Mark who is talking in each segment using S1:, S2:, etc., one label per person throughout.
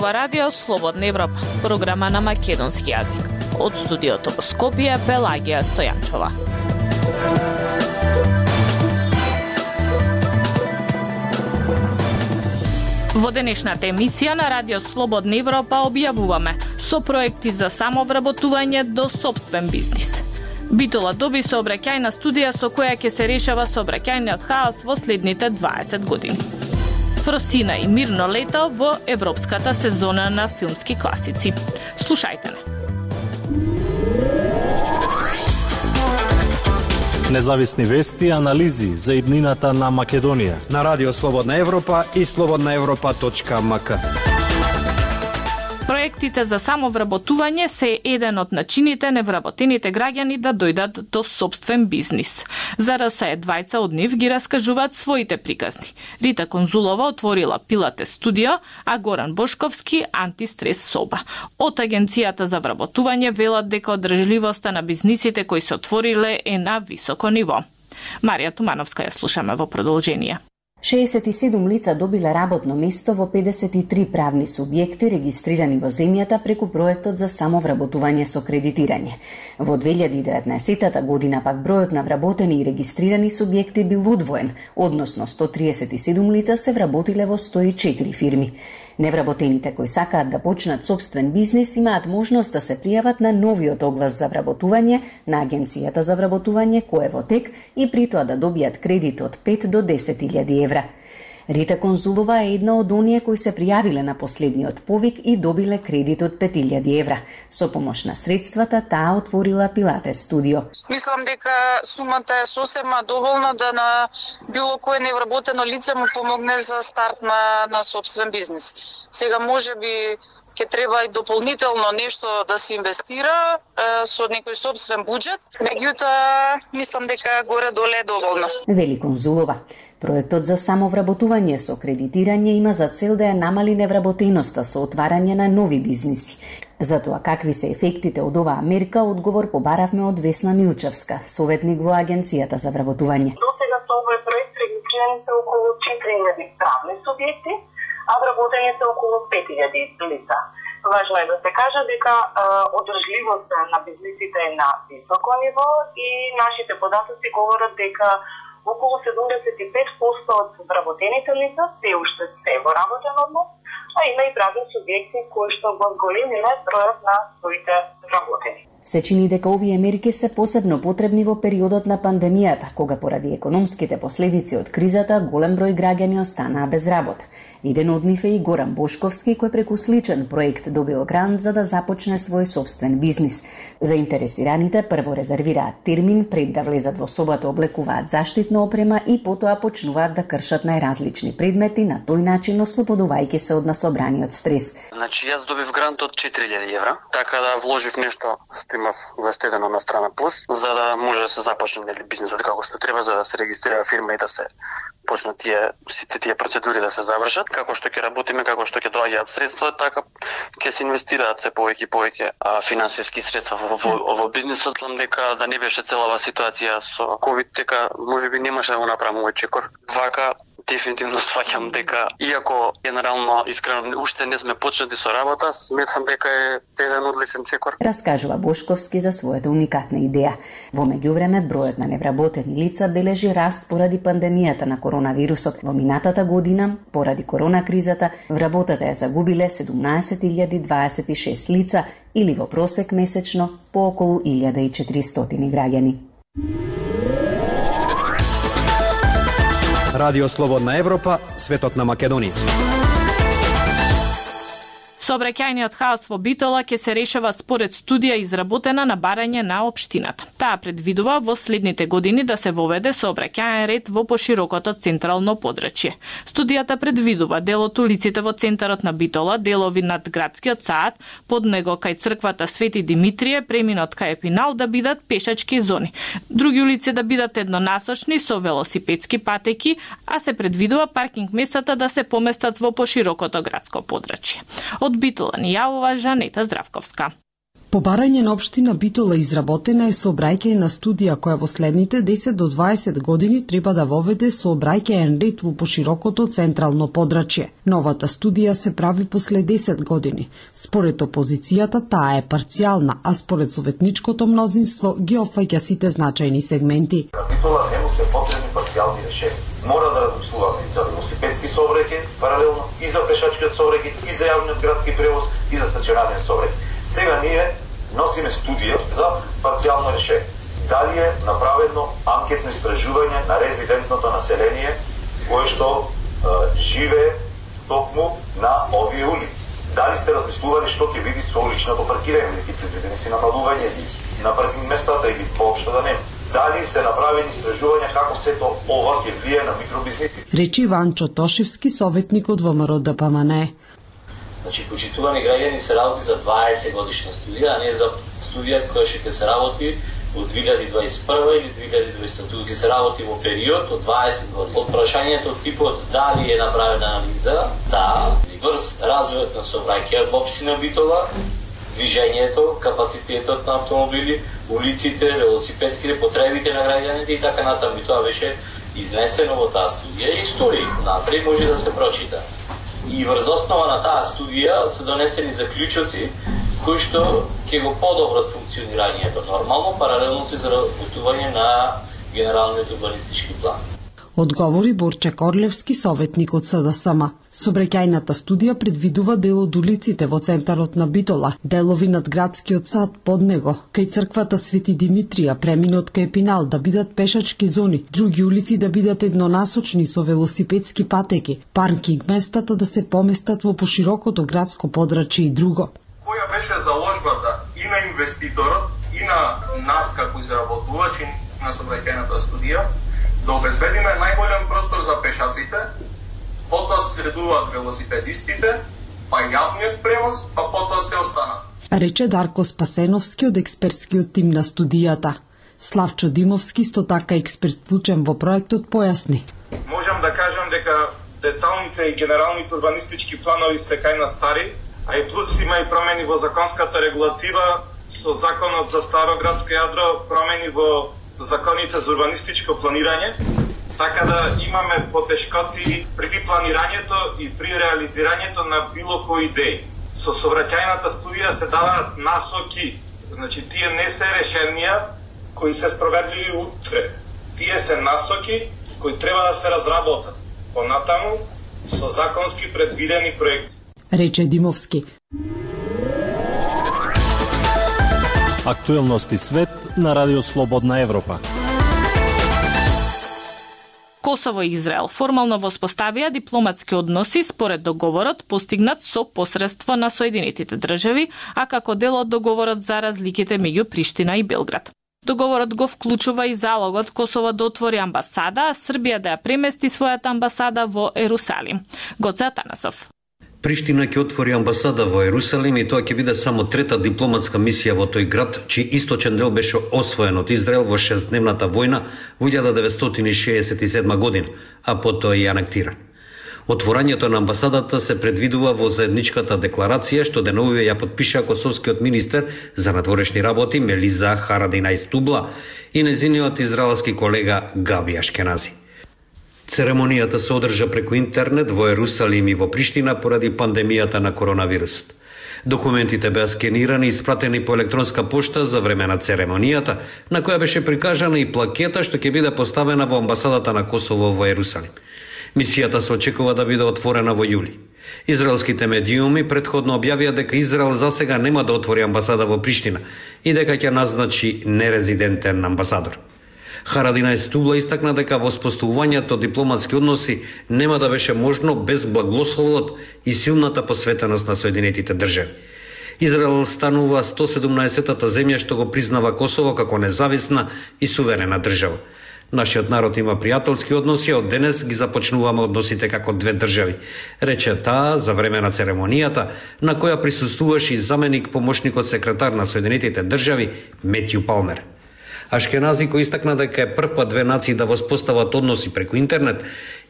S1: ова радио Слободна Европа, програма на македонски јазик. Од студиото во Скопје, Пелагија Стојанчова. Во денешната емисија на радио Слободна Европа објавуваме со проекти за самовработување до сопствен бизнис. Битола доби сообраќајна студија со која ќе се решава сообраќајниот хаос во следните 20 години. Фросина и мирно лето во европската сезона на филмски класици. Слушајте не.
S2: Независни вести и анализи за иднината на Македонија
S3: на Радио Слободна Европа и slobodnaevropa.mk.
S1: Проектите за самовработување се еден од начините невработените граѓани да дојдат до сопствен бизнис. За РСЕ двајца од нив ги раскажуваат своите приказни. Рита Конзулова отворила Пилатес студио, а Горан Бошковски антистрес соба. Од Агенцијата за вработување велат дека одржливоста на бизнисите кои се отвориле е на високо ниво. Марија Тумановска ја слушаме во продолжение.
S4: 67 лица добиле работно место во 53 правни субјекти регистрирани во земјата преку проектот за самовработување со кредитирање. Во 2019 година пак бројот на вработени и регистрирани субјекти бил удвоен, односно 137 лица се вработиле во 104 фирми. Невработените кои сакаат да почнат собствен бизнис имаат можност да се пријават на новиот оглас за вработување на Агенцијата за вработување кој е во тек и при тоа да добијат кредит од 5 до 10.000 евра. Рита Конзулова е една од оние кои се пријавиле на последниот повик и добиле кредит од 5.000 евра. Со помош на средствата таа отворила Пилатес студио.
S5: Мислам дека сумата е сосема доволна да на било кое невработено лице му помогне за старт на собствен бизнис. Сега можеби ќе треба и дополнително нешто да се инвестира со некој собствен буџет, меѓутоа мислам дека горе-доле е доволно.
S4: Вели Конзулова. Проектот за самовработување со кредитирање има за цел да ја намали невработеноста со отварање на нови бизниси. Затоа какви се ефектите од оваа мерка, одговор побаравме од Весна Милчевска, советник во Агенцијата за вработување.
S6: До сега со овој проект регистрирани се околу 4.000 правни субјекти, а вработени се околу 5.000 лица. Важно е да се каже дека одржливоста на бизнисите е на високо ниво и нашите податоци говорат дека околу 75% од вработените лица се уште се во работен однос, а има и правни субјекти кои што го зголемиле бројот на своите вработени.
S4: Се чини дека овие мерки се посебно потребни во периодот на пандемијата, кога поради економските последици од кризата голем број граѓани останаа без работа. Еден од нив е и Горан Бошковски, кој преку сличен проект добил грант за да започне свој собствен бизнис. Заинтересираните прво резервираат термин пред да влезат во собата, облекуваат заштитна опрема и потоа почнуваат да кршат најразлични предмети, на тој начин ослободувајќи се од насобраниот стрес.
S7: Значи јас добив грант од 4.000 евра, така да вложив нешто што имав вестедено на страна плюс, за да може да се започне бизнисот како што треба, за да се регистрира фирма и да се почнат сите тие процедури да се завршат. Како што ќе работиме, како што ќе доаѓаат средства, така ќе се инвестираат се повеќе финансиски средства во бизнисот, дека да не беше целава ситуација со ковид, дека можеби немаше да го направам овој чекор. Вака дефинитивно сваќам дека, иако генерално искрено уште не сме почнати со работа, сметам дека е еден одличен чекор.
S4: Раскажува Бошковски за својата уникатна идеја. Во меѓувреме, бројот на невработени лица бележи раст поради пандемијата на коронавирусот. Во минатата година, поради корона кризата, вработата ја загубиле 17.026 лица или во просек месечно по околу 1.400 граѓани.
S3: Радио Слободна Европа, светот на Македонија.
S1: Сообраќајниот хаос во Битола ќе се решава според студија изработена на барање на општината. Таа предвидува во следните години да се воведе сообраќајен ред во поширокото централно подрачје. Студијата предвидува дел од улиците во центарот на Битола, делови над градскиот сад, под него кај црквата Свети Димитрие, преминот кај Епинал да бидат пешачки зони. Други улици да бидат еднонасочни со велосипедски патеки, а се предвидува паркинг местата да се поместат во поширокото градско подрачје. Од Битола ни јавува Жанета Здравковска.
S8: По барање на општина Битола изработена е сообраќајна студија која во следните 10 до 20 години треба да воведе сообраќајен ред во поширокото централно подрачје. Новата студија се прави после 10 години. Според опозицијата таа е парцијална, а според советничкото мнозинство ги опфаќа сите значајни сегменти.
S9: На Битола не му се потребни парцијални решенија. Мора да размислуваме и за велосипедски сообраќај паралелно, и за пешачкиот сообраќај, и за јавниот градски превоз, и за стационарен сообраќај. Сега ние носиме студија за парцијално решение. Дали е направено анкетно истражување на резидентното население кое што живее токму на овие улици? Дали сте размислували што ќе биде со уличното паркирање, или ќе предвидени си намалување на паркинг местата или поопшто да нема? Дали се направени истражувања како сето ова ќе влие на микробизнеси?
S8: Речи Ванчо Тошевски, советник од ВМРО ДПМН.
S10: Значи, почитувани граѓани се работи за 20 годишна студија, а не за студија која ќе се работи од 2021 или 2022, ќе се работи во период од 20 години. Од прашањето од типот дали е направена анализа, да, врз развојот на сообраќајот во општина Битола, движењето, капацитетот на автомобили, улиците, велосипедските, потребите на граѓаните и така натаму. Тоа беше изнесено во таа студија и стои напред, може да се прочита. И врз основа на таа студија се донесени заклучоци кои што ќе го подобрат функционирањето нормално, паралелно со изработување на генералниот урбанистички план.
S8: Одговори Борче Корлевски, советник од СДСМ. Сообраќајната студија предвидува дел од улиците во центарот на Битола, делови над градскиот сад под него, кај црквата Свети Димитрија, преминот кај Пинал да бидат пешачки зони, други улици да бидат еднонасочни со велосипедски патеки, паркинг местата да се поместат во поширокото градско подрачје и друго.
S11: Која беше заложбата и на инвеститорот и на нас како изработувачи на сообраќајната студија да обезбедиме најголем простор за пешаците, потоа следуваат велосипедистите, па јавниот превоз, па потоа се останат.
S8: Рече Дарко Спасеновски од експертскиот тим на студијата. Славчо Димовски, исто така експерт вклучен во проектот, појасни.
S11: Можам да кажам дека деталните и генералните урбанистички планови се кај на стари, а и плюс има и промени во законската регулатива со законот за Староградско јадро, промени во законите за урбанистичко планирање, така да имаме потешкоти при планирањето и при реализирањето на било кои идеи. Со сообраќајната студија се даваат насоки, значи тие не се решенија кои се спроведливи утре. Тие се насоки кои треба да се разработат понатаму со законски предвидени проекти.
S8: Рече Димовски.
S2: Актуелности свет на Радио Слободна Европа.
S1: Косово и Израел формално воспоставија дипломатски односи според договорот постигнат со посредство на Соединетите држави, а како дел од договорот за разликите меѓу Приштина и Белград. Договорот го вклучува и залогот Косово да отвори амбасада, а Србија да ја премести својата амбасада во Ерусалим. Гоце Атанасов.
S12: Приштина ќе отвори амбасада во Ерусалим и тоа ќе биде само трета дипломатска мисија во тој град, чиј источен дел беше освоен од Израел во 6-дневната војна во 1967 година, а потоа и анектиран. Отворањето на амбасадата се предвидува во заедничката декларација што деновиве ја подпиша косовскиот министер за надворешни работи Мелиза Харадинaj Stubla и нејзиниот израелски колега Габи Ашкенази. Церемонијата се одржа преку интернет во Ерусалим и во Приштина поради пандемијата на коронавирусот. Документите беа скенирани и испратени по електронска пошта за време на церемонијата, на која беше прикажана и плакета што ќе биде поставена во амбасадата на Косово во Ерусалим. Мисијата се очекува да биде отворена во јули. Израелските медиуми претходно објавија дека Израел засега нема да отвори амбасада во Приштина и дека ќе назначи нерезидентен амбасадор. Харадинaj Stubla истакна дека воспоставувањето дипломатски односи нема да беше можно без благословот и силната посветеност на Соединетите држави. Израел станува 117-та земја што го признава Косово како независна и суверена држава. Нашиот народ има пријателски односи, од денес ги започнуваме односите како две држави, рече таа за време на церемонијата, на која присуствуваше и заменик помошникот секретар на Соединетите држави Метју Палмер. Ашкенази, кој истакна дека е прв пат две нации да воспостават односи преку интернет,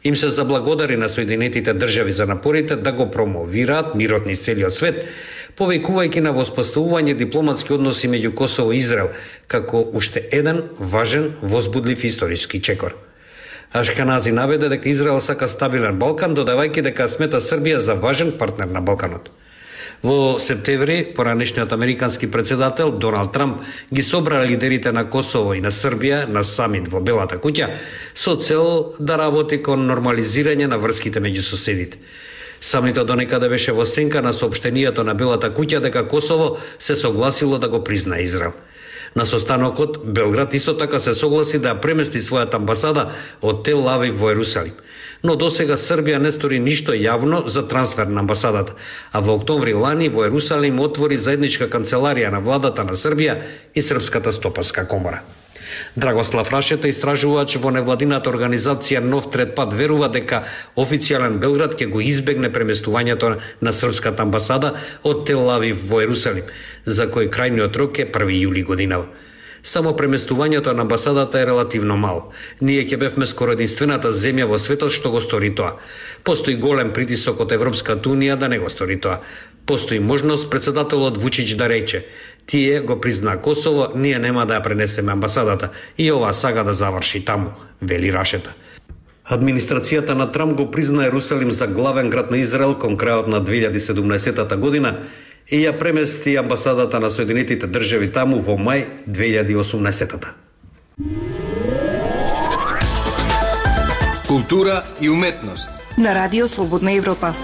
S12: им се заблагодари на Соединетите држави за напорите да го промовираат мирот низ целиот свет, повикувајќи на воспоставување дипломатски односи меѓу Косово и Израел, како уште еден важен возбудлив историски чекор. Ашкенази наведе дека Израел сака стабилен Балкан, додавајќи дека смета Србија за важен партнер на Балканот. Во септември, поранешниот американски председател Доналд Трамп ги собра лидерите на Косово и на Србија на самит во Белата куќа со цел да работи кон нормализирање на врските меѓу соседите. Самитот донекаде беше во сенка на соопштението на Белата куќа дека Косово се согласило да го признае Израел. На состанокот, Белград исто така се согласи да премести својата амбасада од Тел Авив во Ерусалим. Но досега Србија не стори ништо јавно за трансфер на амбасадата, а во октомври лани во Ерусалим отвори заедничка канцеларија на владата на Србија и Српската стопанска комора. Драгослав Рашета, истражувач во невладината организација Нов трет пат, верува дека официјален Белград ќе го избегне преместувањето на српската амбасада од Тел Авив во Ерусалим, за кој крајниот рок е 1 јули годинава. Само преместувањето на амбасадата е релативно мало. Ние ќе бевме скоро единствената земја во светот што го стори тоа. Постои голем притисок од Европската унија да не го стори тоа. Постои можност председателот Вучич да рече: тие го призна Косово, ние нема да ја пренесеме амбасадата и ова сага да заврши таму, вели Рашета. Администрацијата на Трамп го призна Ерусалим за главен град на Израел кон крајот на 2017 година и ја премести амбасадата на Соединетите држави таму во мај 2018.
S13: Култура и уметност
S14: на Радио Слободна Европа.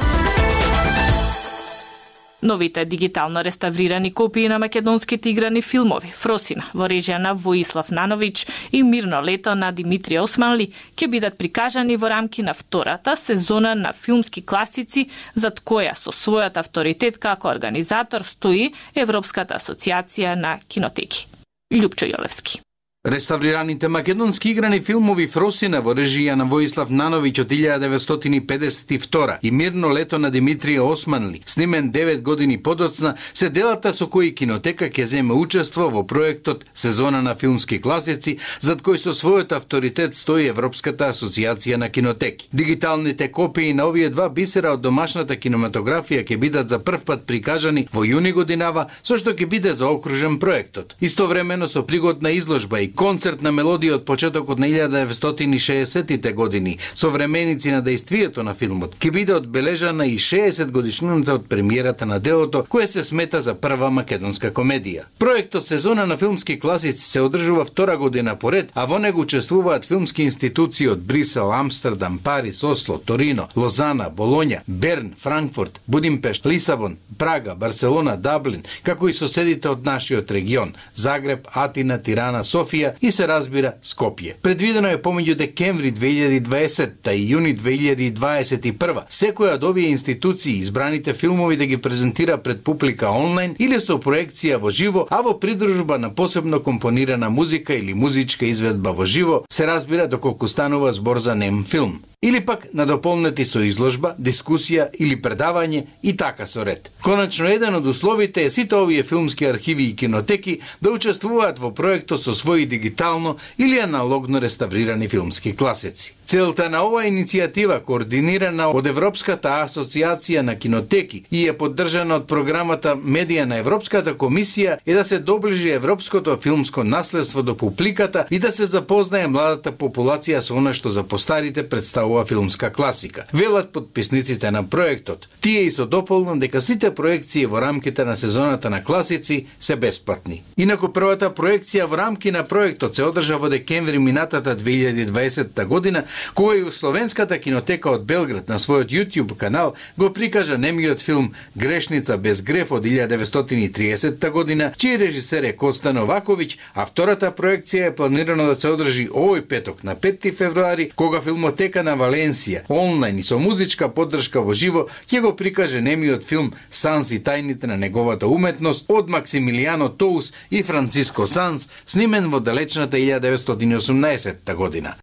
S1: Новите дигитално реставрирани копии на македонските играни филмови Фросина во режија на Воислав Нановиќ и Мирно лето на Димитрија Османли ќе бидат прикажани во рамки на втората сезона на филмски класици, зад која со својот авторитет како организатор стои Европската асоциација на кинотеки. Љупчо Јолевски.
S13: Реставрираните македонски играни филмови Фросина во режија на Воислав Нановиќ од 1952 и Мирно лето на Димитрија Османли, снимен 9 години подоцна, се делата со кои кинотека ќе земе учество во проектот Сезона на филмски класици, зад кој со својот авторитет стои Европската асоциација на кинотеки. Дигиталните копии на овие два бисера од домашната кинематографија ќе бидат за прв пат прикажани во јуни годинава, со што ќе биде заокружен проектот. Истовремено со пригодна изложба и концерт на мелодија од почетокот на 1960-тите години, современици на дејствието на филмот, ќе биде одбележана и 60 годишнината од премиерата на делото, кое се смета за прва македонска комедија. Проектот Сезона на филмски класици се одржува втора година поред, а во него учествуваат филмски институции од Брисел, Амстердам, Париз, Осло, Торино, Лозана, Болоња, Берн, Франкфурт, Будимпешт, Лисабон, Прага, Барселона, Даблин, како и соседите од нашиот регион – Загреб, Атина, Тирана, Софија и се разбира Скопје. Предвидено е помеѓу декември 2020 и јуни 2021 секоја од овие институции избраните филмови да ги презентира пред публика онлайн или со проекција во живо, а во придружба на посебно компонирана музика или музичка изведба во живо, се разбира доколку станува збор за нем филм. Или пак надополнети со изложба, дискусија или предавање и така со ред. Конечно, еден од условите е сите овие филмски архиви и кинотеки да учествуваат во проектот со своји дигитално или аналогно реставрирани филмски класици. Целта на оваа иницијатива, координирана од Европската асоциација на кинотеки и е поддржана од програмата Медија на Европската комисија, е да се доближи европското филмско наследство до публиката и да се запознае младата популација со она што за постарите представува филмска класика. Велат подписниците на проектот. Тие и со дополнам дека сите проекции во рамките на сезоната на класици се бесплатни. Инаку првата проекција во рамки на проектот се одржа во декември минатата 2020 година, кога и Словенската кинотека од Белград на својот YouTube канал го прикажа немиот филм Грешница без греф од 1930 година, чиј режисер е Коста Новаковиќ, а втората проекција е планирано да се одржи овој петок на 5 февруари, кога филмотека на Валенсија онлайн и со музичка поддршка во живо ќе го прикаже немиот филм Санс и тајните на неговата уметност од Максимилијано Тоус и Франциско Санс, снимен во далечната 1918 година.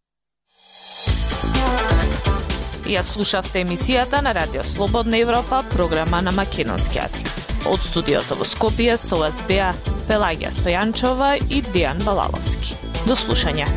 S1: Ја слушавте емисијата на Радио Слободна Европа, програма на македонски јазик. Од студиото во Скопје со вас беа Пелагија Стојанчова и Дејан Балаловски. До слушање.